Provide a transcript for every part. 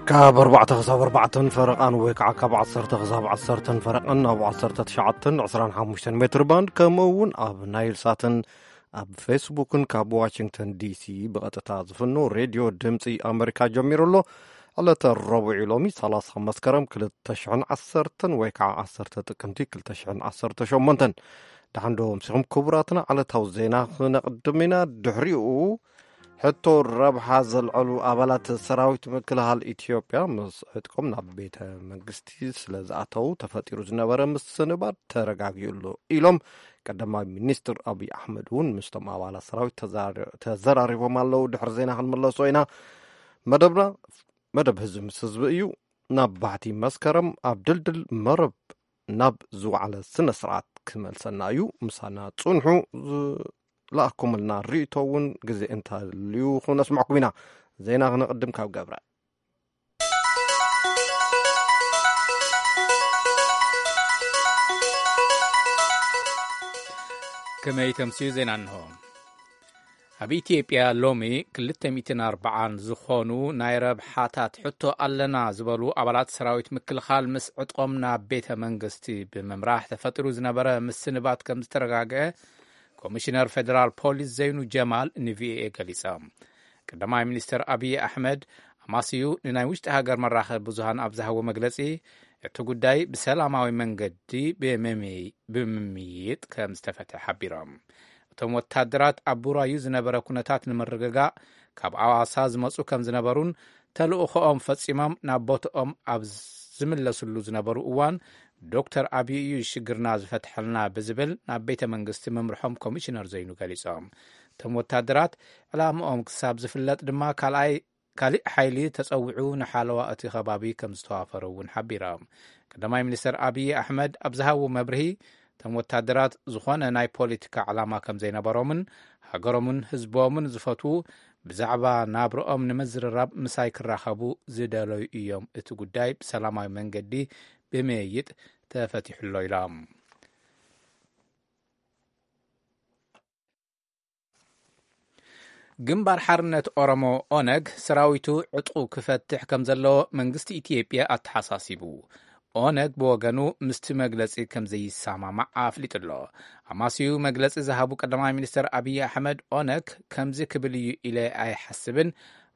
ካብ ኣርባዕተ ክሳብ ኣርባዕተን ፈረቓን ወይ ከዓ ካብ ዓሰርተ ክሳብ ዓሰርተን ፈረቓን ኣብ ዓሰርተ ትሽዓተን ዕስራን ሓሙሽተን ሜትር ባንድ፣ ከምኡ እውን ኣብ ናይል ሳትን ኣብ ፌስቡክን ካብ ዋሽንግተን ዲሲ ብቐጥታ ዝፍኖ ሬድዮ ድምፂ ኣመሪካ ጀሚሩ ኣሎ። ዕለተ ረቡዕ ሎሚ ሰላሳ መስከረም ክልተ ሽሕን ዓሰርተን ወይ ከዓ ዓሰርተ ጥቅምቲ ክልተ ሽሕን ዓሰርተ ሸሞንተን። ደሓን ዶ ኣምሲኹም ክቡራትና? ዕለታዊ ዜና ክነቕድም ኢና። ድሕሪኡ ሕቶ ረብሓ ዘልዐሉ ኣባላት ሰራዊት ምክልኻል ኢትዮጵያ ምስ ዕጥቆም ናብ ቤተ መንግስቲ ስለ ዝኣተዉ ተፈጢሩ ዝነበረ ምስንባት ተረጋጊኡ ኣሎ ኢሎም ቀዳማይ ሚኒስትር ኣብይ ኣሕመድ እውን ምስቶም ኣባላት ሰራዊት ተዛሪ-፣ ተዘራሪቦም ኣለዉ። ድሕሪ ዜና ክንምለሶ ኢና። መደብና መደብ ህዝቢ ምስ ህዝቢ እዩ። ናብ ባሕቲ መስከረም ኣብ ድልድል መረብ ናብ ዝወዓለ ስነ ስርዓት ክመልሰና እዩ። ምሳና ጽንሑ። ዝለኣኩምልና ርእቶ እውን ግዜ እንተልዩ ክነስምዐኩም ኢና። ዜና ክነቕድም ካብ ገብረ። ከመይ ተምስዩ ዜና እንሆ። ኣብ ኢትዮጵያ ሎሚ ክልተ ሚእትን ኣርባዓን ዝኾኑ ናይ ረብሓታት ሕቶ ኣለና ዝበሉ ኣባላት ሰራዊት ምክልኻል ምስ ዕጥቆም ናብ ቤተ መንግስቲ ብምምራሕ ተፈጢሩ ዝነበረ ምስንባት ከም ዝተረጋግአ ኮሚሽነር ፌደራል ፖሊስ ዘይኑ ጀማል ንቪኦኤ ገሊጾም። ቀዳማይ ሚኒስትር ኣብይ ኣሕመድ ኣማስዩ ንናይ ውሽጢ ሃገር መራኸቢ ብዙሃን ኣብ ዝሃቦ መግለጺ፣ እቲ ጉዳይ ብሰላማዊ መንገዲ ብምምይ-፣ ብምምይጥ ከም ዝተፈትሐ ሓቢሮም። እቶም ወታደራት ኣብ ቡራዩ ዝነበረ ኩነታት ንምርግጋእ ካብ ኣዋሳ ዝመጹ ከም ዝነበሩን ተልእኾኦም ፈጺሞም ናብ ቦትኦም ኣብ ዝምለስሉ ዝነበሩ እዋን ዶክተር ኣብይ እዩ ሽግርና ዝፈትሐልና ብዝብል ናብ ቤተ መንግስቲ ምምርሖም ኮሚሽነር ዘይኑ ገሊጾም። እቶም ወታደራት ዕላምኦም ክሳብ ዝፍለጥ ድማ ካልኣይ፣ ካሊእ ሓይሊ ተጸዊዑ ንሓለዋ እቲ ከባቢ ከም ዝተዋፈረ እውን ሓቢሮም። ቀዳማይ ሚኒስትር ኣብይ ኣሕመድ ኣብ ዝሃቦ መብርሂ፣ እቶም ወታደራት ዝኾነ ናይ ፖለቲካ ዕላማ ከም ዘይነበሮምን ሃገሮምን ህዝቦምን ዝፈትዉ፣ ብዛዕባ ናብርኦም ንምዝርራብ ምሳይ ክራኸቡ ዝደለዩ እዮም። እቲ ጉዳይ ብሰላማዊ መንገዲ ብምይይጥ ተፈቲሑ ኣሎ ኢሎም። ግንባር ሓርነት ኦሮሞ ኦነግ ሰራዊቱ ዕጥቁ ክፈትሕ ከም ዘለዎ መንግስቲ ኢትዮጵያ ኣተሓሳሲቡ። ኦነግ ብወገኑ ምስቲ መግለጺ ከም ዘይሰማማዕ ኣፍሊጡ ኣሎ። ኣማስዩ መግለጺ ዝሃቡ ቀዳማይ ሚኒስትር ኣብይ ኣሕመድ፣ ኦነግ ከምዚ ክብል እዩ ኢለ ኣይሓስብን፣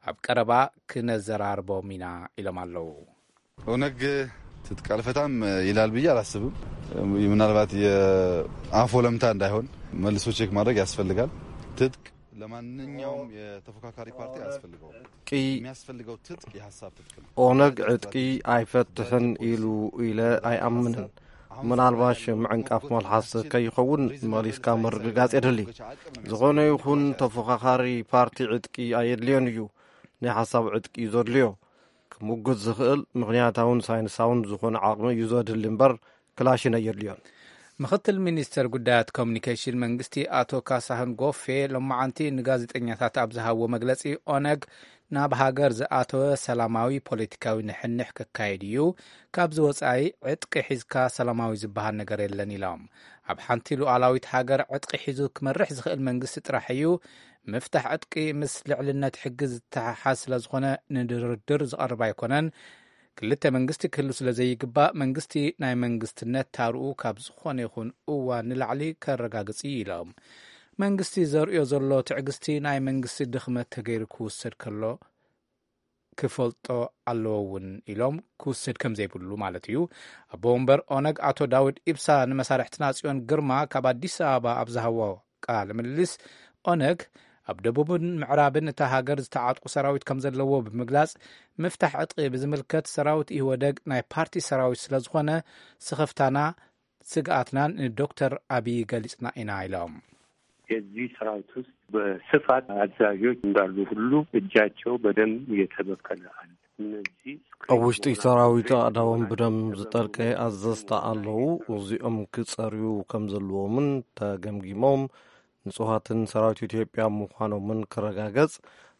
ኣብ ቀረባ ክነዘራርቦም ኢና ኢሎም ኣለዉ። ኦነግ ትጥቅ አልፈታም ይላል ብዬ አላስብም። ምናልባት የአፍ ወለምታ እንዳይሆን መልሶ ቼክ ማድረግ ያስፈልጋል። ትጥቅ ለማንኛውም የተፎካካሪ ፓርቲ አያስፈልገውም። የሚያስፈልገው ትጥቅ የሀሳብ ትጥቅ ነው። ኦነግ ዕጥቂ ኣይፈትሕን ኢሉ ኢለ ኣይኣምንን። ምናልባሽ ምዕንቃፍ መልሓስ ከይኸውን መሊስካ ምርግጋጽ የድሊ። ዝኾነ ይኹን ተፎኻኻሪ ፓርቲ ዕጥቂ ኣየድልዮን እዩ። ናይ ሓሳብ ዕጥቂ እዩ ዘድልዮ። ክምጉት ዝኽእል ምኽንያታውን ሳይንሳውን ዝኾነ ዓቕሚ እዩ ዘድሊ እምበር ክላሽን ኣየድልዮን። ምኽትል ሚኒስትር ጉዳያት ኮሚኒኬሽን መንግስቲ ኣቶ ካሳሁን ጎፌ ሎማዓንቲ ንጋዜጠኛታት ኣብ ዝሃብዎ መግለጺ፣ ኦነግ ናብ ሃገር ዝኣተወ ሰላማዊ ፖለቲካዊ ንሕንሕ ክካየድ እዩ፣ ካብዚ ወጻኢ ዕጥቂ ሒዝካ ሰላማዊ ዝበሃል ነገር የለን ኢሎም። ኣብ ሓንቲ ሉዓላዊት ሃገር ዕጥቂ ሒዙ ክመርሕ ዝኽእል መንግስቲ ጥራሕ እዩ፣ ምፍታሕ ዕጥቂ ምስ ልዕልነት ሕጊ ዝተሓሓዝ ስለ ዝኾነ ንድርድር ዝቐርብ ኣይኮነን። ክልተ መንግስቲ ክህሉ ስለ ዘይግባእ መንግስቲ ናይ መንግስትነት ታርኡ ካብ ዝኾነ ይኹን እዋን ንላዕሊ ከረጋግጽ እዩ ኢሎም። መንግስቲ ዘርእዮ ዘሎ ትዕግስቲ ናይ መንግስቲ ድኽመት ተገይሩ ክውሰድ ከሎ ክፈልጦ ኣለዎ እውን ኢሎም፣ ክውሰድ ከም ዘይብሉ ማለት እዩ። ኣቦ ወንበር ኦነግ ኣቶ ዳውድ ኢብሳ ንመሳርሕትና ጽዮን ግርማ ካብ ኣዲስ ኣበባ ኣብ ዝሃቦ ቃለ ምልልስ፣ ኦነግ ኣብ ደቡብን ምዕራብን እታ ሃገር ዝተዓጥቁ ሰራዊት ከም ዘለዎ ብምግላጽ፣ ምፍታሕ ዕጥቂ ብዝምልከት ሰራዊት ኢህወደግ ናይ ፓርቲ ሰራዊት ስለ ዝኾነ ስኽፍታና ስግኣትናን ንዶክተር ኣብይ ገሊጽና ኢና ኢሎም። የዚህ ሰራዊት ውስጥ በስፋት አዛዦች እንዳሉ ሁሉ እጃቸው በደም የተበከለ አለ። እነዚህ ኣብ ውሽጢ ሰራዊት ኣእዳዎም ብደም ዝጠልቀ ኣዘዝቲ ኣለዉ። እዚኦም ክጸርዩ ከም ዘለዎምን ተገምጊሞም ንጹሃትን ሰራዊት ኢትዮጵያ ምዃኖምን ክረጋገጽ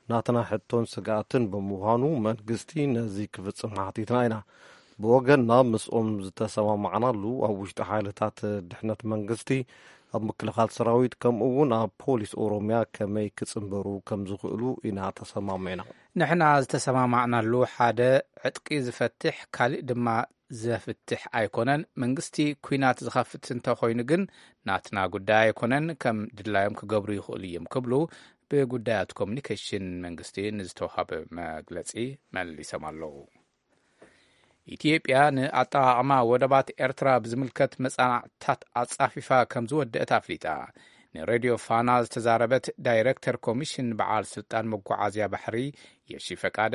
ናትና ሕቶን ስግኣትን ብምዃኑ መንግስቲ ነዚ ክፍጽም ሓቲትና ኢና። ብወገንና ምስኦም ዝተሰማማዕናሉ ኣብ ውሽጢ ሓይልታት ድሕነት መንግስቲ ኣብ ምክልኻል ሰራዊት፣ ከምኡ እውን ኣብ ፖሊስ ኦሮሚያ ከመይ ክጽንበሩ ከም ዝኽእሉ ኢና ተሰማሚዕና። ንሕና ዝተሰማማዕናሉ ሓደ ዕጥቂ ዝፈትሕ፣ ካሊእ ድማ ዘፍትሕ ኣይኮነን። መንግስቲ ኲናት ዝኸፍት እንተኾይኑ ግን ናትና ጉዳይ ኣይኮነን፣ ከም ድላዮም ክገብሩ ይኽእሉ እዮም ክብሉ ብጉዳያት ኮሙኒኬሽን መንግስቲ ንዝተዋሃበ መግለጺ መሊሶም ኣለዉ። ኢትዮጵያ ንኣጠቓቕማ ወደባት ኤርትራ ብዝምልከት መጽናዕትታት ኣጻፊፋ ከም ዝወደአት ኣፍሊጣ። ንሬድዮ ፋና ዝተዛረበት ዳይረክተር ኮሚሽን በዓል ስልጣን መጓዓዝያ ባሕሪ የሺ ፈቃደ፣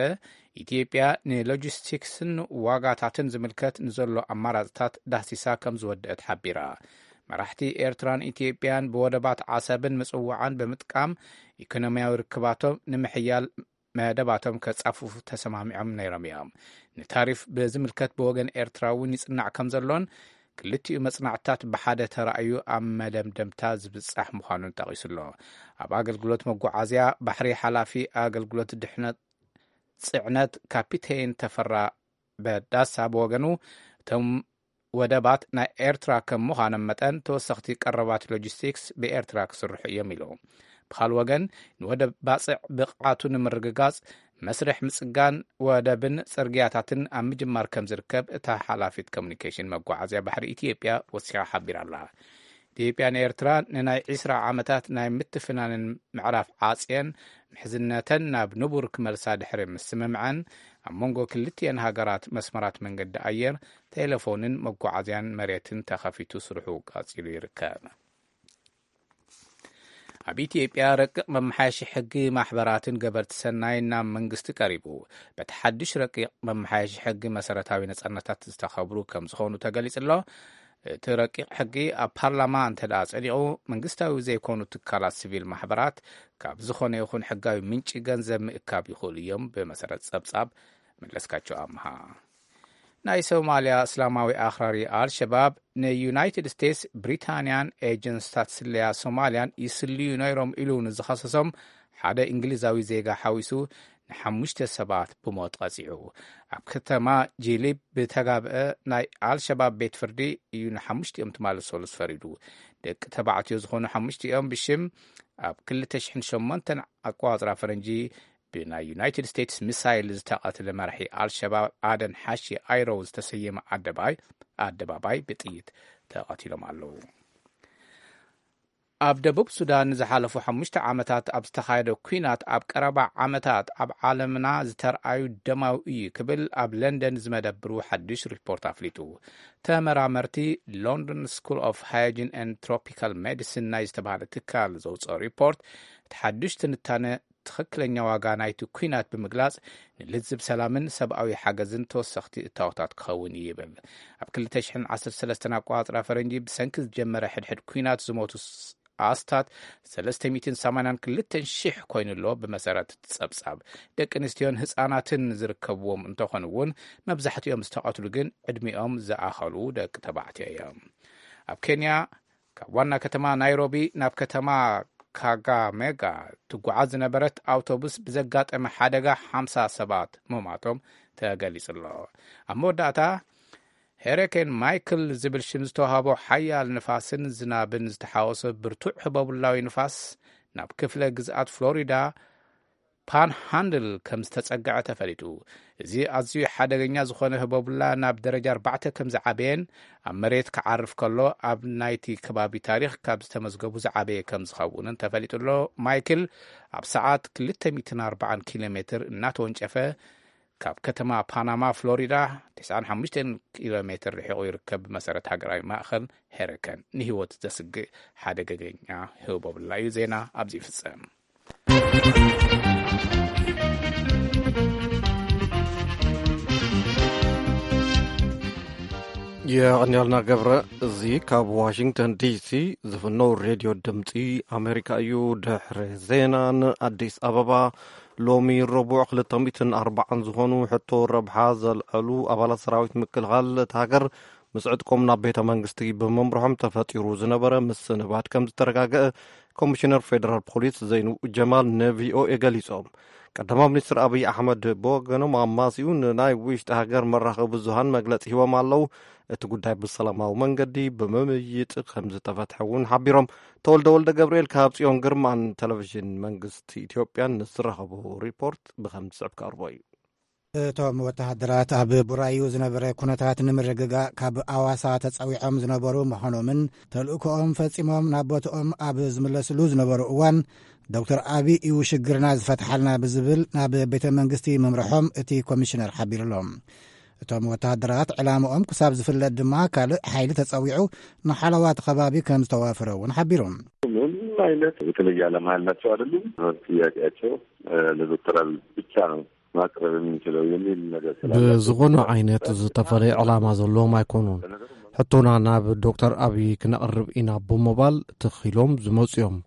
ኢትዮጵያ ንሎጂስቲክስን ዋጋታትን ዝምልከት ንዘሎ ኣማራጽታት ዳህሲሳ ከም ዝወደአት ሓቢራ። መራሕቲ ኤርትራን ኢትዮጵያን ብወደባት ዓሰብን ምጽዋዓን ብምጥቃም ኢኮኖሚያዊ ርክባቶም ንምሕያል መደባቶም ከጻፍፉ ተሰማሚዖም ነይሮም እዮም። ንታሪፍ ብዝምልከት ብወገን ኤርትራ እውን ይጽናዕ ከም ዘሎን ክልቲኡ መጽናዕትታት ብሓደ ተራእዩ ኣብ መደምደምታ ዝብጻሕ ምዃኑን ጠቒሱ ኣሎ። ኣብ ኣገልግሎት መጓዓዝያ ባሕሪ ሓላፊ ኣገልግሎት ድሕነት ጽዕነት ካፒቴን ተፈራ በዳሳ ብወገኑ፣ እቶም ወደባት ናይ ኤርትራ ከም ምዃኖም መጠን ተወሰኽቲ ቀረባት ሎጂስቲክስ ብኤርትራ ክስርሑ እዮም ኢሉ። ብኻል ወገን፣ ንወደብ ባጽዕ ብቕዓቱ ንምርግጋጽ መስርሕ ምጽጋን ወደብን ጽርግያታትን ኣብ ምጅማር ከም ዝርከብ እታ ሓላፊት ኮሙኒኬሽን መጓዓዝያ ባሕሪ ኢትዮጵያ ወሲኻ ሓቢራ ኣላ። ኢትዮጵያ ንኤርትራ ንናይ ዒስራ ዓመታት ናይ ምትፍናንን ምዕራፍ ዓጽየን ምሕዝነተን ናብ ንቡር ክመልሳ ድሕሪ ምስምምዐን፣ ኣብ መንጎ ክልቲኤን ሃገራት መስመራት መንገዲ ኣየር፣ ቴሌፎንን መጓዓዝያን መሬትን ተኸፊቱ ስርሑ ቀጺሉ ይርከብ። ኣብ ኢትዮጵያ ረቂቕ መመሓየሺ ሕጊ ማሕበራትን ገበርቲ ሰናይ ናብ መንግስቲ ቀሪቡ። በቲ ሓድሽ ረቂቕ መመሓየሺ ሕጊ መሰረታዊ ነጻነታት ዝተኸብሩ ከም ዝኾኑ ተገሊጹ ኣሎ። እቲ ረቂቕ ሕጊ ኣብ ፓርላማ እንተ ደኣ ጸዲቑ፣ መንግስታዊ ዘይኮኑ ትካላት ሲቪል ማሕበራት ካብ ዝኾነ ይኹን ሕጋዊ ምንጪ ገንዘብ ምእካብ ይኽእሉ እዮም፣ ብመሰረት ጸብጻብ መለስካቸው ኣምሃ። ናይ ሶማልያ እስላማዊ ኣኽራሪ ኣልሸባብ ንዩናይትድ ስቴትስ፣ ብሪታንያን ኤጀንስታት ስለያ ሶማልያን ይስልዩ ነይሮም ኢሉ ንዝኸሰሶም ሓደ እንግሊዛዊ ዜጋ ሓዊሱ ንሓሙሽተ ሰባት ብሞት ቀጺዑ። ኣብ ከተማ ጂሊብ ብተጋብአ ናይ ኣልሸባብ ቤት ፍርዲ እዩ ንሓሙሽቲኦም ትማሊ ሰሉስ ፈሪዱ። ደቂ ተባዕትዮ ዝኾኑ ሓሙሽቲኦም ብሽም ኣብ ክልተ ሽሕን ሸሞንተን ኣቆጻጽራ ፈረንጂ ብናይ ዩናይትድ ስቴትስ ሚሳይል ዝተቐትለ መራሒ ኣልሸባብ ኣደን ሓሺ ኣይሮ ዝተሰየመ ኣደባይ-፣ ኣደባባይ ብጥይት ተቐቲሎም ኣለዉ። ኣብ ደቡብ ሱዳን ንዝሓለፉ ሓሙሽተ ዓመታት ኣብ ዝተኻየደ ኲናት፣ ኣብ ቀረባ ዓመታት ኣብ ዓለምና ዝተርኣዩ ደማዊ እዩ ክብል ኣብ ለንደን ዝመደብሩ ሓድሽ ሪፖርት ኣፍሊጡ። ተመራመርቲ ሎንዶን ስኩል ኦፍ ሃይጂን ኤንድ ትሮፒካል ሜዲሲን ናይ ዝተባህለ ትካል ዘውፅኦ ሪፖርት፣ እቲ ሓድሽ ትንታነ ትኽክለኛ ዋጋ ናይቲ ኲናት ብምግላጽ፣ ንልዝብ ሰላምን ሰብኣዊ ሓገዝን ተወሰኽቲ እታወታት ክኸውን እዩ ይብል። ኣብ ክልተ ሽሕን ዓሰርተ ሰለስተን ኣቆጻጽራ ፈረንጂ ብሰንኪ ዝጀመረ ሕድሕድ ኲናት ዝሞቱ ስ-፣ ኣስታት ሰለስተ ሚእትን ሰማንያን ክልተን ሽሕ ኮይኑ ኣሎ፣ ብመሰረት እቲ ጸብጻብ። ደቂ ኣንስትዮን ህጻናትን ዝርከብዎም እንተኾኑ እውን፣ መብዛሕትኦም ዝተቐትሉ ግን ዕድሚኦም ዝኣኸሉ ደቂ ተባዕትዮ እዮም። ኣብ ኬንያ፣ ካብ ዋና ከተማ ናይሮቢ ናብ ከተማ ካጋሜጋ ትጓዓዝ ዝነበረት ኣውቶቡስ ብዘጋጠመ ሓደጋ ሓምሳ ሰባት ምማቶም ተገሊጹ ኣሎ። ኣብ መወዳእታ፣ ሄሪኬን ማይክል ዝብል ሽም ዝተዋህቦ ሓያል ንፋስን ዝናብን ዝተሓወሶ ብርቱዕ ህቦብላዊ ንፋስ ናብ ክፍለ ግዝኣት ፍሎሪዳ ፓንሃንድል ከም ዝተጸግዐ ተፈሊጡ። እዚ ኣዝዩ ሓደገኛ ዝኾነ ህቦብላ ናብ ደረጃ ኣርባዕተ ከም ዝዓበየን ኣብ መሬት ክዓርፍ ከሎ ኣብ ናይቲ ከባቢ ታሪኽ ካብ ዝተመዝገቡ ዝዓበየ ከም ዝኸውንን ተፈሊጡ ኣሎ። ማይክል ኣብ ሰዓት ክልተ ሚእትን ኣርባዓን ኪሎ ሜትር እናተወንጨፈ ካብ ከተማ ፓናማ ፍሎሪዳ ተስዓን ሓሙሽተን ኪሎ ሜትር ርሒቑ ይርከብ። ብመሰረት ሃገራዊ ማእኸል ሄሪከን ንህይወት ዘስግእ ሓደገኛ ህቦብላ እዩ። ዜና ኣብዚ ይፍጸም። የቐንያልና ገብረ። እዚ ካብ ዋሽንግተን ዲሲ ዝፍነው ሬድዮ ድምፂ ኣሜሪካ እዩ። ድሕሪ ዜና ንኣዲስ ኣበባ። ሎሚ ረቡዕ ክልተ ሚእትን ኣርባዓን ዝኾኑ ሕቶ ረብሓ ዘልዐሉ ኣባላት ሰራዊት ምክልኻል እታ ሃገር ምስ ዕጥቆም ናብ ቤተ መንግስቲ ብምምርሖም ተፈጢሩ ዝነበረ ምስንባድ ከም ዝተረጋገአ ኮሚሽነር ፌደራል ፖሊስ ዘይኑ ጀማል ንቪኦኤ ገሊጾም። ቀዳማዊ ሚኒስትር ኣብይ ኣሕመድ ብወገኖም ኣማሲኡ ንናይ ውሽጢ ሃገር መራኸቢ ብዙሃን መግለጺ ሂቦም ኣለዉ። እቲ ጉዳይ ብሰላማዊ መንገዲ ብምምይጥ ከም ዝተፈትሐ እውን ሓቢሮም። ተወልደ ወልደ ገብርኤል ካብ ጽዮን ግርማን ቴሌቪዥን መንግስቲ ኢትዮጵያን ዝረኸቦ ሪፖርት ብኸም ዝስዕብ ከቕርቦ እዩ። እቶም ወተሃደራት ኣብ ቡራዩ ዝነበረ ኩነታት ንምርግጋእ ካብ ኣዋሳ ተጸዊዖም ዝነበሩ ምዃኖምን ተልእኮኦም ፈጺሞም ናብ ቦትኦም ኣብ ዝምለስሉ ዝነበሩ እዋን ዶክተር ኣቢ እዩ ሽግርና ዝፈትሓልና ብዝብል ናብ ቤተ መንግስቲ ምምርሖም እቲ ኮሚሽነር ሓቢሩሎም። እቶም ወተሃደራት ዕላምኦም ክሳብ ዝፍለጥ ድማ ካልእ ሓይሊ ተጸዊዑ ንሓለዋ እቲ ከባቢ ከም ዝተዋፈረ እውን ሓቢሩ። ምንም አይነት የተለየ ዓላማ ያላቸው አይደሉም። ጥያቄያቸው ለዶክተር አብይ ብቻ ነው ማቅረብ የምንችለው የሚል ነገር ስላላቸው ብዝኾነ ዓይነት ዝተፈለየ ዕላማ ዘለዎም ኣይኮኑን። ሕቶና ናብ ዶክተር ኣብይ ክነቕርብ ኢና ብምባል ትኺሎም ዝመፁ እዮም።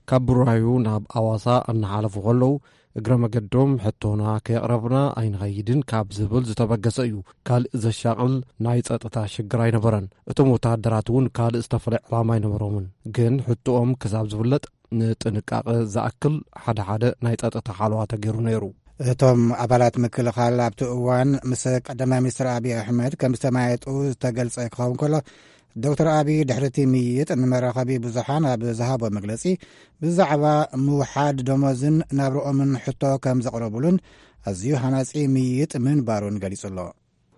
ካብ ብራዩ ናብ ኣዋሳ እናሓለፉ ከለዉ እግረ መገዶም ሕቶና ከየቕረብና ኣይንኸይድን ካብ ዝብል ዝተበገሰ እዩ። ካልእ ዘሻቕል ናይ ጸጥታ ሽግር ኣይነበረን። እቶም ወተሃደራት እውን ካልእ ዝተፈለየ ዕላማ ኣይነበሮምን። ግን ሕቶኦም ክሳብ ዝፍለጥ ንጥንቃቐ ዝኣክል ሓደ ሓደ ናይ ጸጥታ ሓለዋ ተገይሩ ነይሩ። እቶም ኣባላት ምክልኻል ኣብቲ እዋን ምስ ቀዳማይ ሚኒስትር ኣብይ ኣሕመድ ከም ዝተማየጡ ዝተገልጸ ክኸውን ከሎ፣ ዶክተር ኣብይ ድሕሪ እቲ ምይይጥ ንመራኸቢ ብዙሓን ኣብ ዝሃቦ መግለጺ ብዛዕባ ምውሓድ ደሞዝን ናብርኦምን ሕቶ ከም ዘቕረቡሉን ኣዝዩ ሃናጺ ምይይጥ ምንባሩን ገሊጹ ኣሎ።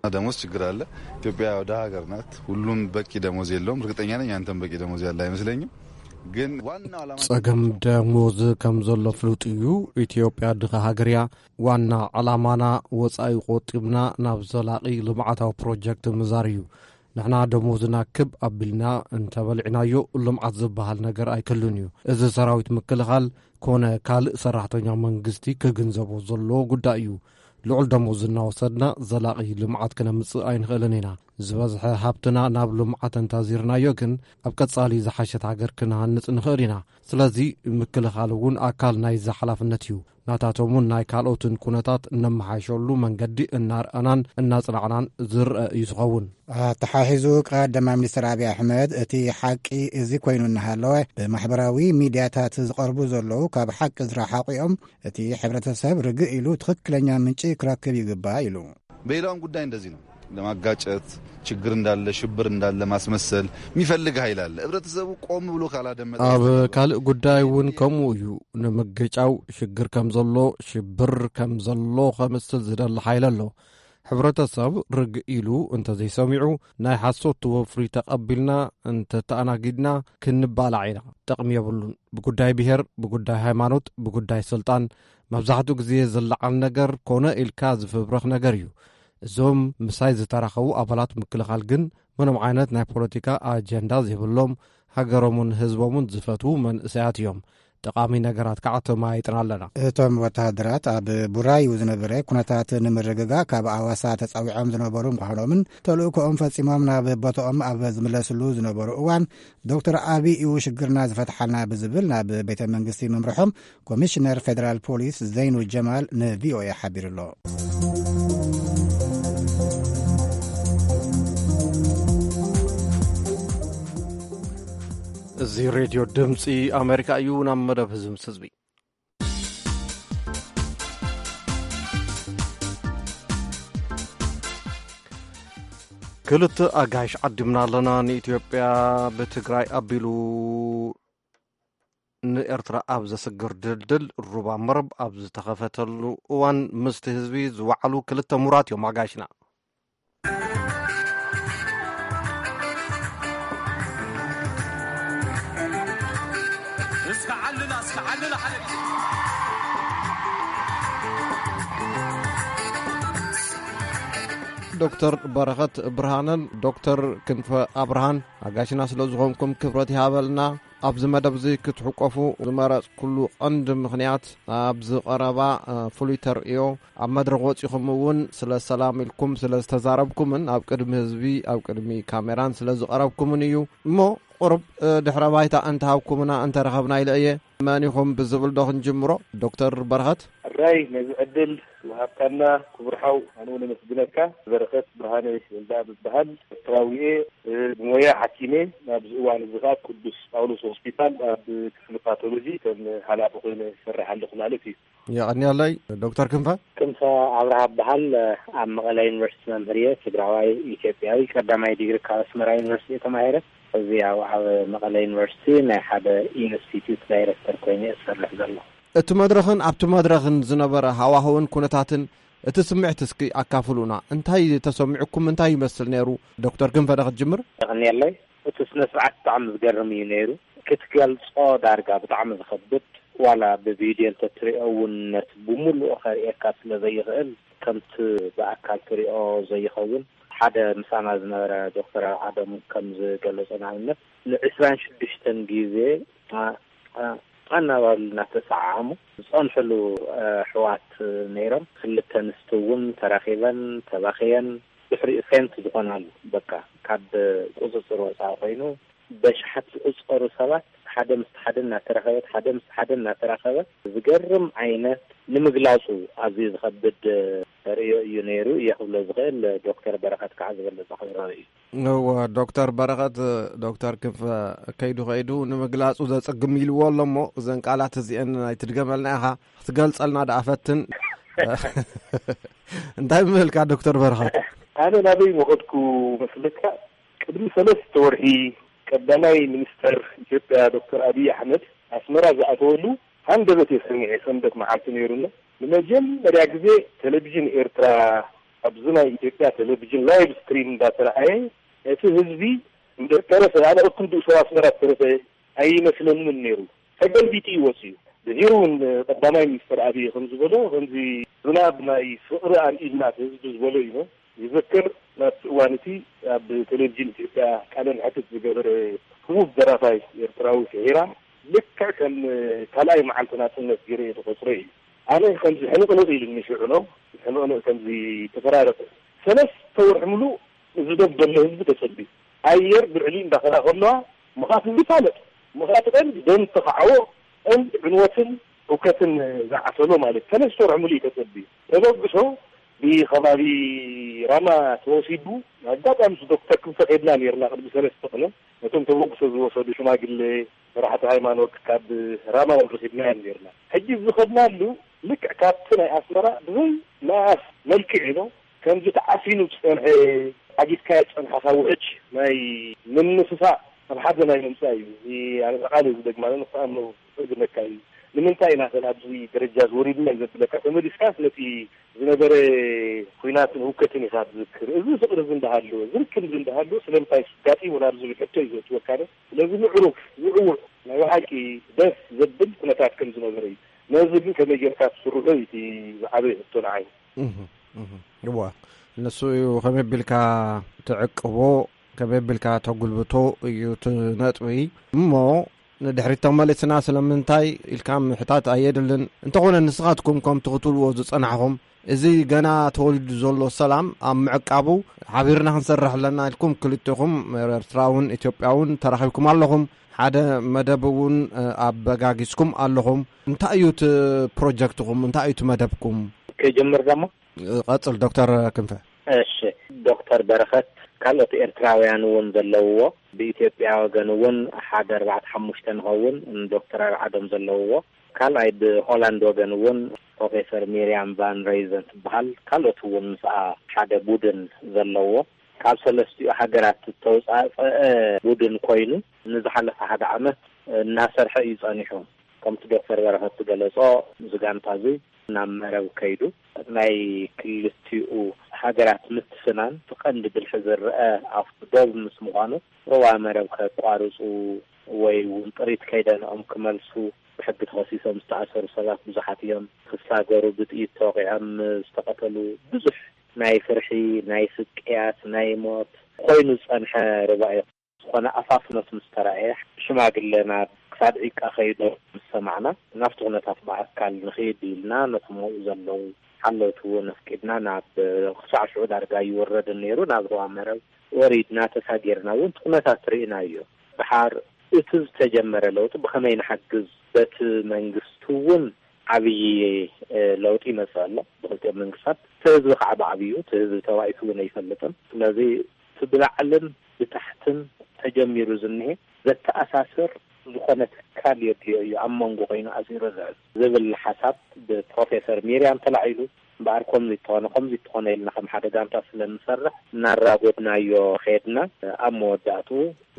ደሞዝ ችግር አለ። ኢትዮጵያ ወደ ሀገር ናት። ሁሉም በቂ ደሞዝ የለውም። እርግጠኛ ነኝ አንተም በቂ ደሞዝ ያለ አይመስለኝም። ግን ዋናው ዓላማ ጸገም ደሞዝ ከም ዘሎ ፍሉጥ እዩ። ኢትዮጵያ ድኻ ሃገር እያ። ዋና ዓላማና ወጻኢ ቆጢብና ናብ ዘላቒ ልምዓታዊ ፕሮጀክት ምዛር እዩ። ንሕና ደሞዝና ክብ ኣቢልና እንተበሊዕናዮ ልምዓት ዝበሃል ነገር ኣይክህሉን እዩ። እዚ ሰራዊት ምክልኻል ኮነ ካልእ ሰራሕተኛ መንግስቲ ክግንዘቦ ዘለዎ ጉዳይ እዩ። ልዑል ደሞዝ እናወሰድና ዘላቒ ልምዓት ክነምጽእ ኣይንኽእልን ኢና። ዝበዝሐ ሃብትና ናብ ልምዓት እንተዚርናዮ ግን ኣብ ቀጻሊ ዝሓሸት ሃገር ክንሃንጽ ንኽእል ኢና። ስለዚ ምክልኻል እውን ኣካል ናይዚ ሓላፍነት እዩ። ናታቶም እውን ናይ ካልኦትን ኩነታት እነመሓይሸሉ መንገዲ እናርኣናን እናጽናዕናን ዝረአ እዩ ዝኸውን። ኣተሓሒዙ ቀዳማይ ሚኒስትር ኣብይ ኣሕመድ እቲ ሓቂ እዚ ኮይኑ እናሃለወ ብማሕበራዊ ሚድያታት ዝቐርቡ ዘለዉ ካብ ሓቂ ዝረሓቑ እዮም፣ እቲ ሕብረተሰብ ርግእ ኢሉ ትኽክለኛ ምንጪ ክረክብ ይግባእ ኢሉ። በሌላውም ጉዳይ እንደዚህ ነው። ለማጋጨት ችግር እንዳለ ሽብር እንዳለ ማስመሰል የሚፈልግ ኃይል አለ። ህብረተሰቡ ቆም ብሎ ካላደመጠ ኣብ ካልእ ጉዳይ እውን ከምኡ እዩ። ንምግጫው ሽግር ከም ዘሎ ሽብር ከም ዘሎ ከምስል ዝደሊ ሓይል ኣሎ። ሕብረተሰብ ርግእ ኢሉ እንተዘይሰሚዑ ናይ ሓሶት ወፍሪ ተቐቢልና እንተተኣናጊድና ክንባላዕ ኢና። ጥቕሚ የብሉን። ብጉዳይ ብሔር፣ ብጉዳይ ሃይማኖት፣ ብጉዳይ ስልጣን መብዛሕትኡ ግዜ ዝለዓል ነገር ኮነ ኢልካ ዝፍብረኽ ነገር እዩ። እዞም ምሳይ ዝተራኸቡ ኣባላት ምክልኻል ግን ምንም ዓይነት ናይ ፖለቲካ ኣጀንዳ ዘይብሎም፣ ሃገሮምን ህዝቦምን ዝፈትዉ መንእሰያት እዮም። ጠቓሚ ነገራት ከዓ ተመያይጥና ኣለና። እቶም ወተሃደራት ኣብ ቡራዩ ዝነበረ ኩነታት ንምርግጋእ ካብ ኣዋሳ ተጻዊዖም ዝነበሩ ምዃኖምን ተልእኮኦም ፈጺሞም ናብ ቦታኦም ኣብ ዝምለስሉ ዝነበሩ እዋን ዶክተር ኣቢይ እዩ ሽግርና ዝፈትሓልና ብዝብል ናብ ቤተ መንግስቲ ምምርሖም ኮሚሽነር ፌደራል ፖሊስ ዘይኑ ጀማል ንቪኦኤ ሓቢሩ ኣሎ። እዚ ሬድዮ ድምፂ ኣሜሪካ እዩ። ናብ መደብ ህዝቢ ምስ ህዝቢ ክልተ ኣጋይሽ ዓዲምና ኣለና። ንኢትዮጵያ ብትግራይ ኣቢሉ ንኤርትራ ኣብ ዘስግር ድልድል ሩባ መረብ ኣብ ዝተኸፈተሉ እዋን ምስቲ ህዝቢ ዝወዓሉ ክልተ ምሁራት እዮም ኣጋይሽና። እስከ ዓልላ፣ እስከ ዓልላ ሓደ ግዜ። ዶክተር በረኸት ብርሃነን ዶክተር ክንፈ ኣብርሃን ኣጋሽና ስለ ዝኾንኩም ክብረት ይሃበልና። ኣብዚ መደብ እዚ ክትሕቆፉ ዝመረጽኩሉ ቀንዲ ምኽንያት ኣብዚ ቀረባ፣ እ፣ ፍሉይ ተርእዮ ኣብ መድረኽ ወጺኹም እውን ስለ ሰላም ኢልኩም ስለ ዝተዛረብኩምን ኣብ ቅድሚ ህዝቢ ኣብ ቅድሚ ካሜራን ስለ ዝቐረብኩምን እዩ። እሞ ቁሩብ፣ እ፣ ድሕረ ባይታ እንተሃብኩምና እንተረኸብና ኢለ እየ። መን ኢኹም ብዝብል ዶ ክንጅምሮ? ዶክተር በረኸት። ትግራይ፣ ነዚ ዕድል ዝሃብካና ክቡር ሓው ኣነ እውን ኣመስግነካ። በረኸት ብርሃነ ወልደኣብ እበሃል። ኤርትራዊ እየ። ብሞያ ሓኪም እየ። ኣብዚ እዋን እዚ ከኣ ቅዱስ ጳውሎስ ሆስፒታል ኣብ ክፍሊ ፓቶሎጂ ከም ሓላፊ ኮይነ ይሰርሕ ኣለኹ ማለት እዩ። የቐንየለይ። ዶክተር ክንፈ? ክንፈ ኣብርሃ እበሃል። ኣብ መቐለ ዩኒቨርሲቲ መምህር እየ። ትግራዋይ ኢትዮጵያዊ። ቀዳማይ ዲግሪ ካብ ኣስመራ ዩኒቨርሲቲ እየ ተማሂረ። እዚ ኣብ ኣብ መቐለ ዩኒቨርሲቲ ናይ ሓደ ኢንስቲትዩት ዳይሬክተር ኮይነ እየ ዝሰርሕ ዘለኹ። እቲ መድረኽን ኣብቲ መድረኽን ዝነበረ ሃዋህውን ኩነታትን እቲ ስምዒት እስኪ ኣካፍሉና። እንታይ ተሰሚዑኩም? እንታይ ይመስል ነይሩ? ዶክተር ክንፈ ዶ ክትጅምር? የቐንየለይ። እቲ ስነ ስርዓት ብጣዕሚ ዝገርም እዩ ነይሩ። ክትገልጾ ዳርጋ ብጣዕሚ ዝኸብድ፣ ዋላ ብቪድዮ እንተትሪኦ እውን ነቲ ብምሉኡ ከርእየካ ስለ ዘይኽእል፣ ከምቲ ብኣካል ትሪኦ ዘይኸውን፣ ሓደ ምሳና ዝነበረ ዶክተር ኣርዓዶም ከም ዝገለጾ፣ ንኣብነት ንዕስራን ሽዱሽተን ግዜ ኣ-፣ ኣ-፣ ኣናባብሉ እናተሰዓዓሙ ዝጸንሕሉ፣ እ፣ ኣሕዋት ነይሮም። ክልተ ኣንስቲ እውን ተራኺበን፣ ተባኽየን፣ ድሕሪኡ ፌንት ዝኾናሉ፣ በቃ ካብ ቁጽጽር ወጻኢ ኮይኑ፣ በሽሓት ዝቑጸሩ ሰባት ሓደ ምስ ሓደ እናተራኸበት፣ ሓደ ምስ ሓደ እናተራኸበት፣ ዝገርም ዓይነት፣ ንምግላጹ ኣዝዩ ዝኸብድ ርእዮ እዩ ነይሩ እየ ክብሎ ዝኽእል። ዶክተር በረኸት ከዓ ዝበለጸ ክብሮ እዩ። እወ፣ ዶክተር በረኸት፣ ዶክተር ክንፈ ከይዱ ከይዱ ንምግላጹ ዘጸግም ኢልዎ ኣሎ እሞ፣ እዘን ቃላት እዚአን ኣይትድገመልና ኢኻ፣ ክትገልጸልና ደኣ ፈትን። እንታይ ምበልካ ዶክተር በረኸት? ኣነ ናበይ ምኸድኩ መስለካ? ቅድሚ ሰለስተ ወርሒ ቀዳማይ ሚኒስተር ኢትዮጵያ ዶክተር ኣብይ ኣሕመድ ኣስመራ ዝኣተወሉ ሃንደበት እየ ሰሚዐ። ሰንበት መዓልቲ ነይሩ እሞ ንመጀመርያ ግዜ ቴሌቪዥን ኤርትራ ኣብዚ ናይ ኢትዮጵያ ቴሌቪዥን ላይቭ ስትሪም እንዳተረኣየ እቲ ህዝቢ እንደ ተረፈ ኣነ እኩል ብኡ ሰብ ኣስመራ ዝተረፈ ኣይመስለንን ነይሩ። ተገልቢጡ እዩ ወፂኡ። ድሒሩ እውን ቀዳማይ ሚኒስተር ኣብይ ከም ዝበሎ ከምዚ ዝናብ ናይ ፍቕሪ ኣርኢልና እቲ ህዝቢ ዝበሎ እዩ። ይዘክር ናብቲ እዋን እቲ ኣብ ቴሌቪዥን ኢትዮጵያ ቃለ መሕትት ዝገበረ ህቡብ ደራፋይ ኤርትራዊ ፍሒራ ልክዕ ከም ካልኣይ መዓልቲ ናጽነት ገይረ እየ ዝቆጽሮ እዩ። ኣነ ከምዚ ሕንቕንቕ ኢሉኒ ሽዑ ነው። ሕንቕንቕ ከምዚ ተፈራረቀ። ሰለስተ ወርሒ ምሉእ እዚ ደብ ዘሎ ህዝቢ ተጸቢዩ። ኣየር ብልዕሊኡ እንዳኸዳ ከለዋ ምኻት ይፋለጥ። ምኻት ቀንዲ ደም ተኻዕዎ ቀንዲ ዕንወትን ህውከትን ዝዓሰሎ ማለት ሰለስተ ወርሒ ምሉእ እዩ ተጸቢዩ። ተበግሶ ብከባቢ ራማ ተወሲዱ። ኣጋጣሚ ምስ ዶክተር ክንፈ ከድና ነርና ቅድሚ ሰለስተ ቅነ ነቶም ተበግሶ ዝወሰዱ ሽማግሌ መራሕቲ ሃይማኖት ካብ ራማ እውን ረኺብናዮም ነርና። ሕጂ ዝኸድናሉ ልክዕ ካብቲ ናይ ኣስመራ ብዘይ መኣስ መልክዕ ኢሎ ከምዚ ተዓፊኑ ዝጸንሐ ዓጊትካዮ ዝጸንሓካ ውሕጅ ናይ ምንስፋእ ኣብ ሓደ ናይ ምምጻእ እዩ። እዚ ኣነ ቃል እዩ ዝደግማ፣ ኣነ ንክትኣምኖ ዘጸግመካ እዩ። ንምንታይ ኢና ከ ኣብዚ ደረጃ ዝወሪድና እዩ ዘብለካ? ተመሊስካስ ነቲ ዝነበረ ኲናትን ህውከትን ኢኻ ትዝክር። እዚ ፍቕሪ እዚ እንዳሃለወ፣ እዚ ርክብ እዚ እንዳሃለወ ስለምንታይ ኣጋጢሙ ናብ ዝብል ሕቶ እዩ ዘእትወካ ዶ? ስለዚ ምዕሩግ፣ ዝዕውዕ፣ ናይ ብሓቂ ደስ ዘብል ኩነታት ከም ዝነበረ እዩ። ነዚ ግን ከመይ ጌርካ ትስርሖ እዩ እቲ ዝዓበየ ሕቶ ንዓይ። እህ፣ እህ። እዋ፣ ንሱ እዩ ከመይ ኣቢልካ ትዕቅቦ፣ ከመይ ኣቢልካ ተጉልብቶ እዩ እቲ ነጥቢ። እሞ ንድሕሪት ተመሊስና ስለምንታይ ኢልካ ምሕታት ኣየድልን። እንተኾነ ንስኻትኩም ከምቲ ክትብልዎ ዝጸናሕኹም፣ እዚ ገና ተወሊዱ ዘሎ ሰላም ኣብ ምዕቃቡ ሓቢርና ክንሰርሕ ኣለና ኢልኩም ክልቴኹም ኤርትራውን ኢትዮጵያውን ተራኺብኩም ኣለኹም። ሓደ መደብ እውን፣ እ፣ ኣበጋጊስኩም ኣለኹም። እንታይ እዩ እቲ ፕሮጀክትኹም? እንታይ እዩ እቲ መደብኩም? ክጅምር ደሞ? እ፣ ቀጽል ዶክተር ክንፈ። እሺ፣ ዶክተር በረኸት ካልኦት ኤርትራውያን እውን ዘለውዎ፣ ብኢትዮጵያ ወገን እውን ሓደ ኣርባዕተ ሓሙሽተ ንኸውን ዶክተር ኣርዓዶም ዘለውዎ፣ ካልኣይ ብሆላንድ ወገን እውን ፕሮፌሰር ሚርያም ቫን ሬይዘን ትበሃል፣ ካልኦት እውን ምስኣ ሓደ ቡድን ዘለዎ፣ ካብ ሰለስቲኡ ሃገራት ዝተውጻጸአ ቡድን ኮይኑ፣ ንዝሓለፈ ሓደ ዓመት እናሰርሐ እዩ ጸኒሑ። ከምቲ ዶክተር በረኸት ዝገለጾ፣ እዚ ጋንታ እዚ ናብ መረብ ከይዱ፣ ናይ ክልቲኡ ሃገራት ምትፍናን እቲ ቀንዲ ብልሒ ዝረኣ ኣብቲ ዶብ ምስ ምዃኑ፣ ሩባ መረብ ከቋርጹ ወይ እውን ጥሪት ከይደንኦም ክመልሱ ብሕጊ ተኸሲሶም ዝተኣሰሩ ሰባት ብዙሓት እዮም። ክሳገሩ ብጥይት ተወቒዖም ዝተቐተሉ ብዙሕ ናይ ፍርሒ፣ ናይ ስቅያት፣ ናይ ሞት ኮይኑ ዝጸንሐ ሩባ እዩ። ዝኾነ ኣፋፍኖት ምስ ተራእየ፣ ሽማግለና ክሳብ ዒቃ ከይዶም ምስ ሰማዕና፣ ናብቲ ኩነታት ብኣካል ንኽይድ ኢልና፣ ነቶም ኣብኡ ዘለዉ ሓለውቲ እውን ኣፍቂድና፣ ናብ ክሳዕ ሽዑ ዳርጋ ኣይወረድን ነይሩ፣ ናብ ሩባ መረብ ወሪድና፣ ተሳጊርና እውን እቲ ኩነታት ርኢናዮ። ደሓር እቲ ዝተጀመረ ለውጢ ብኸመይ ንሓግዝ፣ በቲ መንግስቲ እውን ዓብዪ ለውጢ ይመፅእ ኣሎ ብክልቲኦም መንግስታት። እቲ ህዝቢ ከዓ ብዓብዩ እቲ ህዝቢ ተባኢሱ እውን ኣይፈልጥን። ስለዚ እቲ ብላዕልን ብታሕትን ተጀሚሩ ዝኒሀ ዘተኣሳስር ዝኾነ ትካል የድልዮ እዩ፣ ኣብ መንጎ ኮይኑ ኣሲሩ ዝሕዝ ዝብል ሓሳብ ብፕሮፌሰር ሚርያም ተላዒሉ። እምበኣር ከምዚ እተኾነ ከምዚ እተኾነ ኢልና ከም ሓደ ጋንታ ስለ እንሰርሕ እናራጎድናዮ ከድና፣ ኣብ መወዳእቱ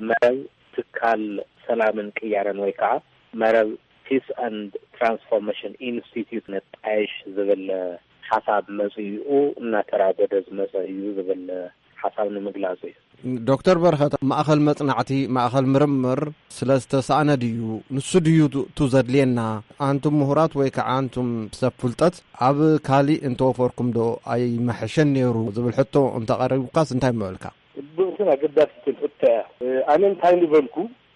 መረብ ትካል ሰላምን ቅያረን ወይ ከዓ መረብ ፒስ ኣንድ ትራንስፎርሜሽን ኢንስቲትዩት ነጣየሽ ዝብል ሓሳብ መፅኡ እናተራጎደ ዝመፀ እዩ ዝብል ሓሳብ ንምግላፅ እዩ። ዶክተር በረኸት፣ ማእኸል መፅናዕቲ፣ ማእኸል ምርምር ስለ ዝተሳእነ ድዩ? ንሱ ድዩ ቱ ዘድልየና? ኣንቱም ምሁራት ወይ ከዓ ኣንቱም ሰብ ፍልጠት ኣብ ካሊእ እንተወፈርኩም ዶ ኣይመሐሸን ነይሩ ዝብል ሕቶ እንተቐሪቡካስ እንታይ ምበልካ? ጽብቕትን ኣገዳሲትን ሕቶ እያ። ኣነ እንታይ ንበልኩ፣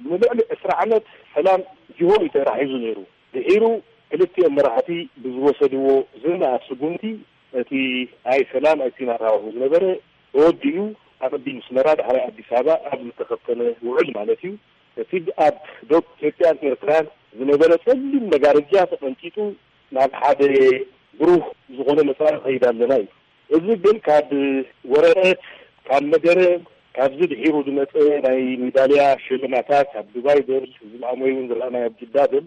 ንልዕሊ ዕስራ ዓመት ሰላም ጅሆ እዩ ተታሒዙ ነይሩ። ድሒሩ ክልቲኦም መራሕቲ ብዝወሰድዎ ዝነኣድ ስጉምቲ እቲ ኣይ ሰላም ኣይ ፒናት ሃዋሁ ዝነበረ ተወዲኡ ኣቐዲሙ ኣስመራ፣ ዳሕራይ ኣዲስ ኣበባ ኣብ ዝተኸተመ ውዕል ማለት እዩ። እቲ ኣብ ዶብ ኢትዮጵያን ኤርትራን ዝነበረ ጸሊም መጋረጃ ተቐንጢጡ ናብ ሓደ ብሩህ ዝኾነ መጻኢ ንኸይድ ኣለና እዩ። እዚ ግን ካብ ወረቐት፣ ካብ መደረ፣ ካብዚ ድሒሩ ዝመጸ ናይ ሜዳልያ ሽልማታት ኣብ ዱባይ በል፣ እዚ ሎሚ እውን ዝረኣናዮ ኣብ ጅዳ በል፣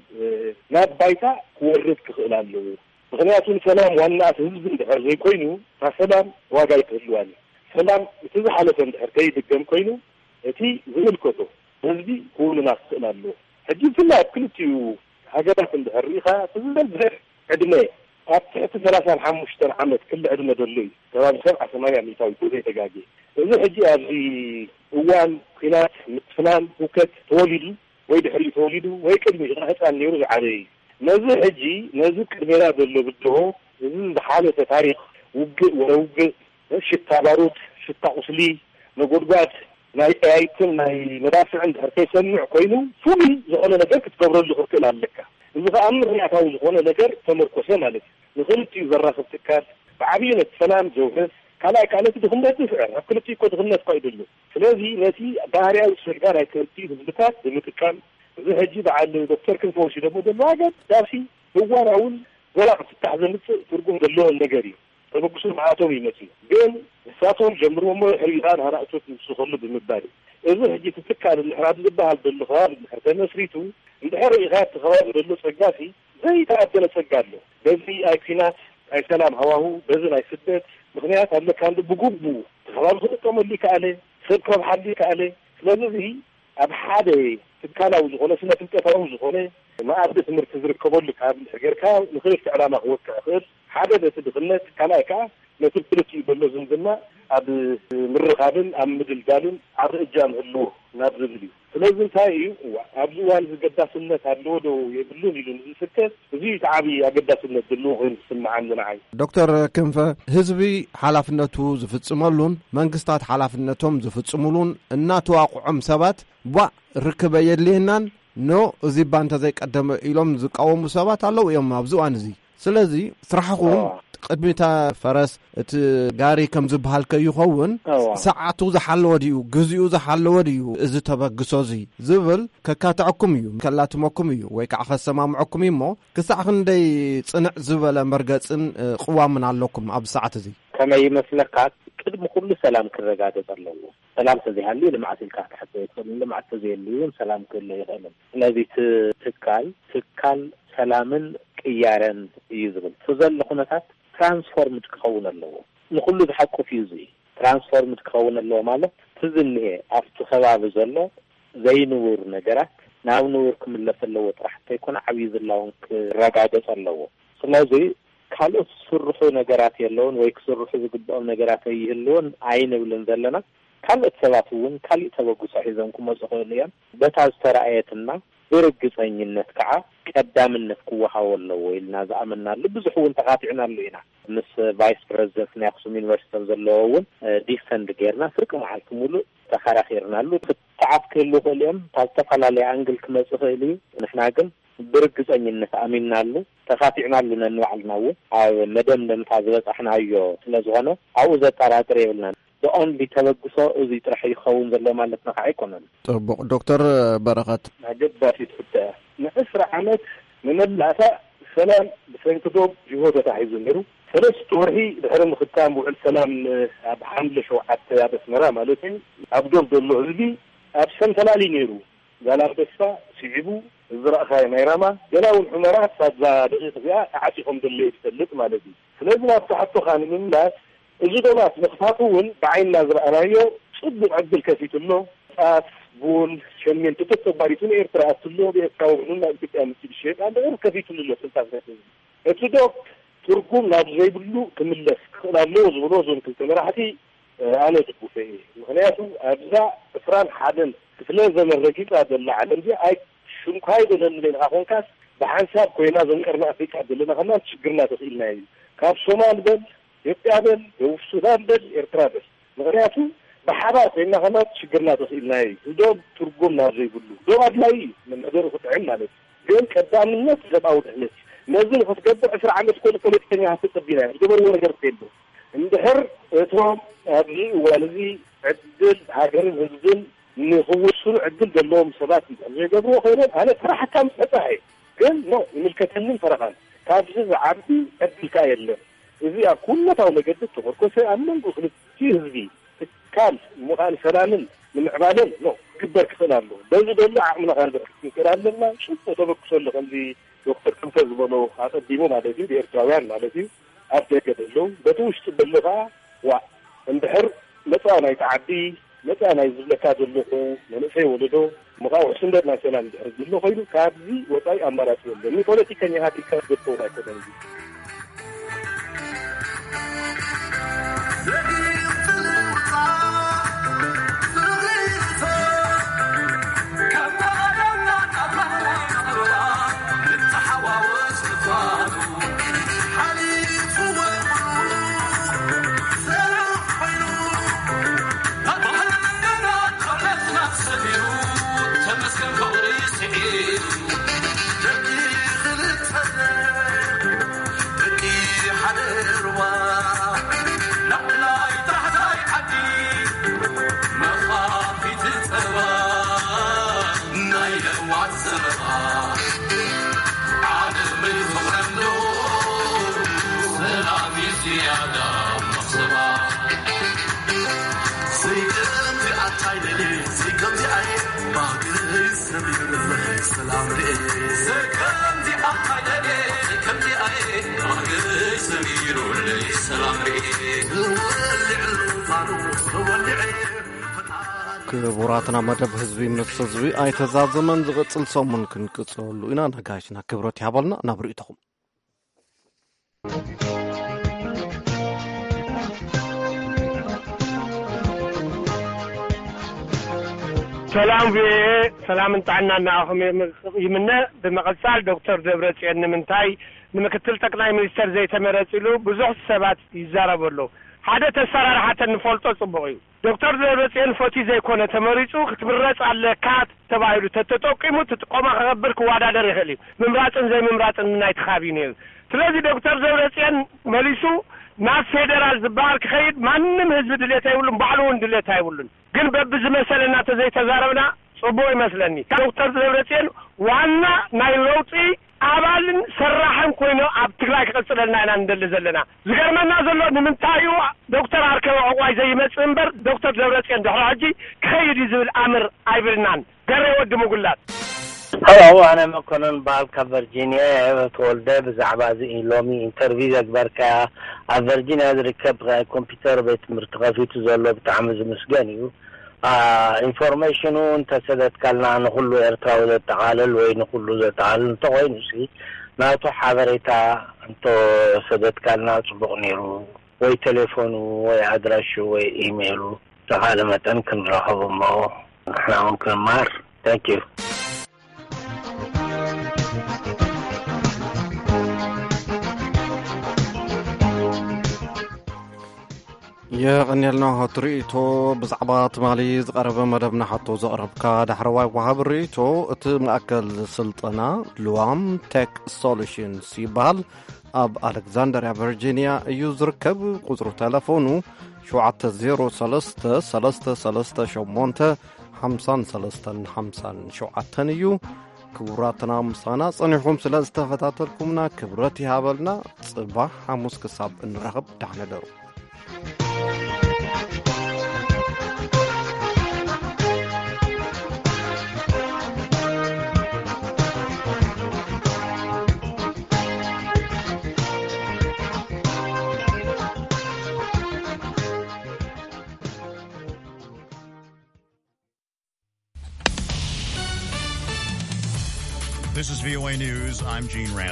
ናብ ባይታ ክወርድ ክኽእል ኣለዎ። ምኽንያቱ ንሰላም ዋና እቲ ህዝቢ እንድሕር ዘይኮይኑ፣ እታ ሰላም ዋጋ ኣይትህልዋን እያ። ሰላም እቲ ዝሓለፈ እንድሕር ከይድገም ኮይኑ፣ እቲ ዝምልከቶ ህዝቢ ክውንና ክኽእል ኣለዎ። ሕጂ ብፍላይ ኣብ ክልቲኡ ሃገራት እንድሕር ርኢኻ፣ እቲ ዝበዝሕ ዕድመ ኣብ ትሕቲ ሰላሳን ሓሙሽተን ዓመት ክሊ ዕድመ ዘሎ እዩ። ከባቢ ሰብዓ ሰማንያ ሚእታዊት ዘይተጋግየ። እዚ ሕጂ ኣብዚ እዋን ኲናት፣ ምትፍናን፣ ህውከት ተወሊዱ ወይ ድሕሪኡ ተወሊዱ ወይ ቅድሚኡ ህፃን ነይሩ ዝዓበየ እዩ። ነዚ ሕጂ ነዚ ቅድሜና ዘሎ ብድሆ፣ እዚ ዝሓለፈ ታሪኽ ውግእ ወረ ውግእ፣ ሽታ ባሩድ፣ ሽታ ቁስሊ፣ ነጎድጓድ ናይ ጠያይትን ናይ መዳፍዕን እንድሕር ከይሰምዕ ኮይኑ ፍሉይ ዝኾነ ነገር ክትገብረሉ ክትክእል ኣለካ። እዚ ከዓ ምኽንያታዊ ዝኾነ ነገር ተመርኮሰ ማለት እዩ። ንኽልቲኡ ዘራኽብ ትካል ብዓብዩ ነቲ ሰላም ዘውሕስ፣ ካልኣይ ከዓ ነቲ ድኽነት ዝስዕር፣ ኣብ ክልቲኡ እኮ ድኽነት እኳ እዩ ዘሎ። ስለዚ ነቲ ባህርያዊ ጸጋ ናይ ክልቲኡ ህዝብታት ብምጥቃም፣ እዚ ሕጂ በዓል ዶክተር ክንፈ ወሲዶሞ ዘለዉ ኣገዳሲ እዋናውን ዘላቂ ፍታሕ ዘምፅእ ትርጉም ዘለዎን ነገር እዩ። ተበግሶ ንዓቶም ይመፅእ ግን ንሳቶም ጀምርዎ እሞ ድሕሪኡ ከዓ ንሃናእቶት ንውስኸሉ ብምባል እዩ። እዚ ሕጂ ትትካል እንድሕር ኣብ ዝበሃል ዘሎ ከባቢ እንድሕር ተመስሪቱ እንድሕር ርኢኻ እቲ ከባቢ ዘሎ ፀጋሲ ዘይተኣደነ ፀጋ ኣሎ። በዚ ኣይ ኲናት ኣይ ሰላም ሃዋሁ በዚ ናይ ስደት ምኽንያት ኣለካ እንዲ ብግቡ እቲ ከባቢ ክጥቀመሉ ይከኣለ ሰብ ክረብሓሉ ይከኣለ። ስለዚ እዚ ኣብ ሓደ ትካላዊ ዝኾነ ስነ ፍልጠታዊ ዝኾነ መኣዲ ትምህርቲ ዝርከበሉ ካብ ጌርካ ንኽልተ ዕላማ ክወቅዕ ይኽእል። ሓደ ነቲ ድኽነት ካልኣይ ከዓ ነቲ ክልቲኡ ዘሎ ዝምድና ኣብ ምርኻብን ኣብ ምድልዳልን ዓቢ እጃም ህልዎ ናብ ዝብል እዩ። ስለዚ እንታይ እዩ እዋ ኣብዚ እዋን እዚ ገዳስነት ኣለዎ ዶ የብሉን ኢሉ ንዝስከስ እዚ እቲ ዓቢ ኣገዳስነት ዘለዎ ኮይኑ ዝስምዓኒ ንዓይ። ዶክተር ክንፈ ህዝቢ ሓላፍነቱ ዝፍጽመሉን መንግስታት ሓላፍነቶም ዝፍጽሙሉን እናተዋቕዖም ሰባት ቧእ ርክበ የድልየናን ኖ እዚ እባ እንተዘይቀደመ ኢሎም ዝቃወሙ ሰባት ኣለዉ እዮም ኣብዚ እዋን እዚ። ስለዚ ስራሕኹም ቅድሚታ ፈረስ እቲ ጋሪ ከም ዝበሃል ከይኸውን ሰዓቱ ዝሓለወ ድዩ፣ ግዜኡ ዝሓለወ ድዩ እዚ ተበግሶ እዚ ዝብል ከካትዐኩም እዩ፣ ከላትመኩም እዩ ወይ ከዓ ከሰማምዐኩም እዩ እሞ ክሳዕ ክንደይ ፅንዕ ዝበለ መርገፅን ቅዋምን ኣለኩም ኣብዚ ሰዓት እዚ? ከመይ ይመስለካ፣ ቅድሚ ኩሉ ሰላም ክረጋገፅ ኣለዎ። ሰላም ተዘይሃልዩ ልምዓት ኢልካ ክትሓስብ ኣይትኽእልን። ልምዓት ተዘየልዩ እውን ሰላም ክህሉ ኣይኽእልን። ስለዚ እቲ ትካል ትካል ሰላምን ቅያረን እዩ ዝብል እቲ ዘሎ ኩነታት ትራንስፎርምድ ክኸውን ኣለዎ። ንኹሉ ዝሓቁፍ እዩ። እዚ ትራንስፎርምድ ክኸውን ኣለዎ ማለት እቲ ዝኒሀ ኣብቲ ከባቢ ዘሎ ዘይንቡር ነገራት ናብ ንቡር ክምለስ ኣለዎ ጥራሕ እንተይኮነ ዓብዪ ዝላውን ክረጋገፅ ኣለዎ። ስለዚ ካልኦት ዝስርሑ ነገራት የለውን ወይ ክስርሑ ዝግብኦም ነገራት ኣይህልውን ኣይንብልን ዘለና። ካልኦት ሰባት እውን ካሊእ ተበግሶ ሒዞም ክመፁ ይኽእሉ እዮም። በታ ዝተረኣየትና ብርግፀኝነት ከዓ ቀዳምነት ክወሃቦ ኣለዎ ኢልና ዝኣመንናሉ ብዙሕ እውን ተኻቲዕናሉ ኢና። ምስ ቫይስ ፕረዚደንት ናይ ኣክሱም ዩኒቨርሲቲ ዘለዉ እውን ዲፈንድ ጌርና ፍርቂ መዓልቲ ሙሉእ ተኸራኺርናሉ። ክትዓት ክህሉ ይኽእሉ እዮም፣ ካብ ዝተፈላለየ ኣንግል ክመፅ ይኽእል እዩ። ንሕና ግን ብርግፀኝነት ኣሚንናሉ ተኻቲዕናሉ ነንባዕልና እውን ኣብ መደምደምታ ዝበፃሕናዮ ስለዝኾነ ኣብኡ ዘጠራጥር የብልናን። ብኦንሊ ተበግሶ እዚ ጥራሕ ይኸውን ዘሎ ማለትና ከዓ ኣይኮነን። ፅቡቕ። ዶክተር በረኸት። ኣገዳሲት ሕቶ እያ። ንዕስራ ዓመት ንመላእታ ሰላም ሰንኪ ዶብ ጅሆ ተታሒዙ ነይሩ። ሰለስተ ወርሒ ድሕሪ ምኽታም ውዕል ሰላም ኣብ ሓምለ ሸውዓተ ኣብ ኣስመራ ማለት እዩ፣ ኣብ ዶብ ዘሎ ህዝቢ ኣብ ሰንፈላሊ ነይሩ። ዛላምበሳ ስዒቡ፣ ዝረእኻዮ ናይ ራማ፣ ገና እውን ሑመራ ክሳብ እዛ ደቂቕ እዚኣ ተዓጺ ከም ዘሎ እዩ ዝፈልጥ ማለት እዩ። ስለዚ ናብቲ ሕቶኻ ንምምላስ፣ እዚ ዶባት ምኽፋቱ እውን ብዓይንና ዝረኣናዮ ጽቡቕ ዕድል ከፊቱ ኣሎ። ጣፍ፣ ቡን፣ ሸሚንቶ ተተባሪቱ ንኤርትራ ኣትሎ፣ ብኤርትራዊ እውን ናብ ኢትዮጵያ ምስ ዝሸየጥ ኣሎ፣ ከፊቱ ኣሎ። ስልጣን ከፊቱ። እቲ ዶብ ትርጉም ናብ ዘይብሉ ክምለስ ክኽእል ኣለዎ ዝብሎ እዞም ክልተ መራሕቲ ኣነ ድጉፈ እየ። ምኽንያቱ ኣብዛ ዕስራን ሓደን ክፍለ ዘመን ረጊጻ ዘላ ዓለም እዚኣ ኣይ ሽንኳይ ደለኒ ኢልካ ኮንካስ፣ ብሓንሳብ ኮይና እዞም ቀርኒ ኣፍሪቃ ዘለና ከማን ችግርና ተኽኢልና እዩ። ካብ ሶማል በል፣ ኢትዮጵያ በል፣ ደቡብ ሱዳን በል፣ ኤርትራ በል። ምኽንያቱ ብሓባር ኮይና ከማን ችግርና ተኽኢልና እዩ። ዶብ ትርጉም ናብ ዘይብሉ፣ ዶብ ኣድላይ እዩ፣ መምሕደሩ ክጥዕም ማለት እዩ። ግን ቀዳምነት ሰብኣዊ ድሕነት እዩ። ነዚ ንክትገብር ዕስራ ዓመት ኮነ ፖለቲከኛ ክትጸቢና እዩ። ዝገበርዎ ነገር የለ። እንድሕር እቶም ኣብዚ እዋን እዚ ዕድል ሃገርን ህዝብን ንክውስኑ ዕድል ዘለዎም ሰባት እንድሕር ዘይገብርዎ ኮይኖም፣ ኣነ ፈራሕካ ምስ መጻእ እየ። ግን ኖ፣ ይምልከተንን ፈረቓን። ካብዚ ዝዓቢ ዕድል ከኣ የለን። እዚ ኣብ ኩነታዊ መገዲ ተመርኮሰ ኣብ መንጎ ክልቲኡ ህዝቢ ትካል ምዃን ሰላምን ንምዕባለን ኖ ክግበር ክኽእል ኣሎ። በዚ ዘሎ ዓቕምና ከንብዕል ክንክእል ኣለና። ጽቡቕ ተበግሶ ኣሎ። ከምዚ ዶክተር ክንፈ ዝበሎ ኣቐዲሙ ማለት እዩ፣ ብኤርትራውያን ማለት እዩ፣ ኣብ ደገ ዘለዉ፣ በቲ ውሽጢ ዘሎ ከኣ ዋእ እንድሕር መጻኢ ናይቲ ዓዲ፣ መጻኢ ናይ ዝብለካ ዘለኹ መንእሰይ ወለዶ፣ ምኻኡ ስንደድ ናይ ሰላም እንድሕር ዝብሎ ኮይኑ፣ ካብዚ ወጻኢ ኣማራጺ የለን። ንፖለቲከኛታት ኢልካ ዝገብተውን ኣይኮነን እዚ። ክቡራትና፣ መደብ ህዝቢ ምስ ህዝቢ ኣይተዛዘመን። ዝቕጽል ሰሙን ክንቅጽለሉ ኢና። ነጋሽና ክብረት ይሃበልና። ናብ ርእይቶኹም። ሰላም ቪኦኤ፣ ሰላምን ጥዕናን ንኣኹም ይም-፣ ይምነ። ብምቕጻል ዶክተር ደብረጽዮን ንምንታይ ንምክትል ጠቅላይ ሚኒስተር ዘይተመረጽ ኢሉ ብዙሕ ሰባት ይዛረቡ ኣለዉ። ሓደ ተሰራርሓተን ንፈልጦ ጽቡቕ እዩ። ዶክተር ደብረጽዮን ፈትዩ ዘይኮነ ተመሪጹ፣ ክትምረጽ ኣለካ ተባሂሉ ተተጠቂሙ እቲ ጥቆማ ክገብር ክወዳደር ይኽእል እዩ። ምምራጽን ዘይምምራጽን ናይቲ ካቢነ እዩ። ስለዚ ዶክተር ደብረጽዮን መሊሱ ናብ ፌደራል ዝበሃል ክኸይድ ማንም ህዝቢ ድሌት ኣይብሉን፣ ባዕሉ እውን ድሌት ኣይብሉን። ግን በብዝመሰለና ተዘይተዛረብና ጽቡቕ ይመስለኒ። ዶክተር ደብረጽዮን ዋና ናይ ለውጢ ኣባልን ሰራሕን ኮይኑ ኣብ ትግራይ ክቕጽለልና ኢና ንደሊ ዘለና። ዝገርመና ዘሎ ንምንታይ እዩ ዶክተር ኣርከበ ዕቑባይ ዘይመጽእ እምበር ዶክተር ደብረጽዮን ድሕሪ ሕጂ ክኸይድ እዩ ዝብል ኣምር ኣይብልናን። ገሬ ወዲ ምጉላት። ሄሎ፣ ኣነ መኮነን በዓል ካብ ቨርጂኒያ እየ ተወልደ። ብዛዕባ እዚ ሎሚ ኢንተርቪው ዘግበርካያ ኣብ ቨርጂኒያ ዝርከብ ኮምፒውተር ቤት ትምህርቲ ከፊቱ ዘሎ ብጣዕሚ ዝምስገን እዩ። አ፣ ኢንፎርሜሽኑ እንተሰደድካልና ንኹሉ ኤርትራዊ ዘጠቓልል ወይ ንኹሉ ዘጠቓልል እንተኾይኑ ሲ ናቱ ሓበሬታ እንተሰደድካልና ጽቡቕ ነይሩ። ወይ ቴሌፎኑ ወይ ኣድራሹ ወይ ኢሜይሉ ተኻለ መጠን ክንረኸብ እሞ ንሕና እውን ክንማር። Thank you። የቐንየልና ትርኢቶ። ብዛዕባ ትማሊ ዝቐረበ መደብና ሕቶ ዘቕረብካ ዳሕረዋይ ወሃቢ ርኢቶ፣ እቲ ማእከል ስልጠና ልዋም ቴክ ሶሉሽንስ ይበሃል። ኣብ ኣሌክዛንደርያ ቨርጂንያ እዩ ዝርከብ። ቁጽሪ ተለፎኑ ሸውዓተ ዜሮ ሰለስተ ሰለስተ ሰለስተ ሸሞንተ ሓምሳን ሰለስተን ሓምሳን ሸውዓተን እዩ። ክቡራትና፣ ምሳና ጸኒሕኩም ስለ ዝተፈታተልኩምና ክብረት ይሃበልና። ጽባሕ ሓሙስ ክሳብ እንራኸብ፣ ደሓን እደሩ። This is V O A News. I'm Gene Randall.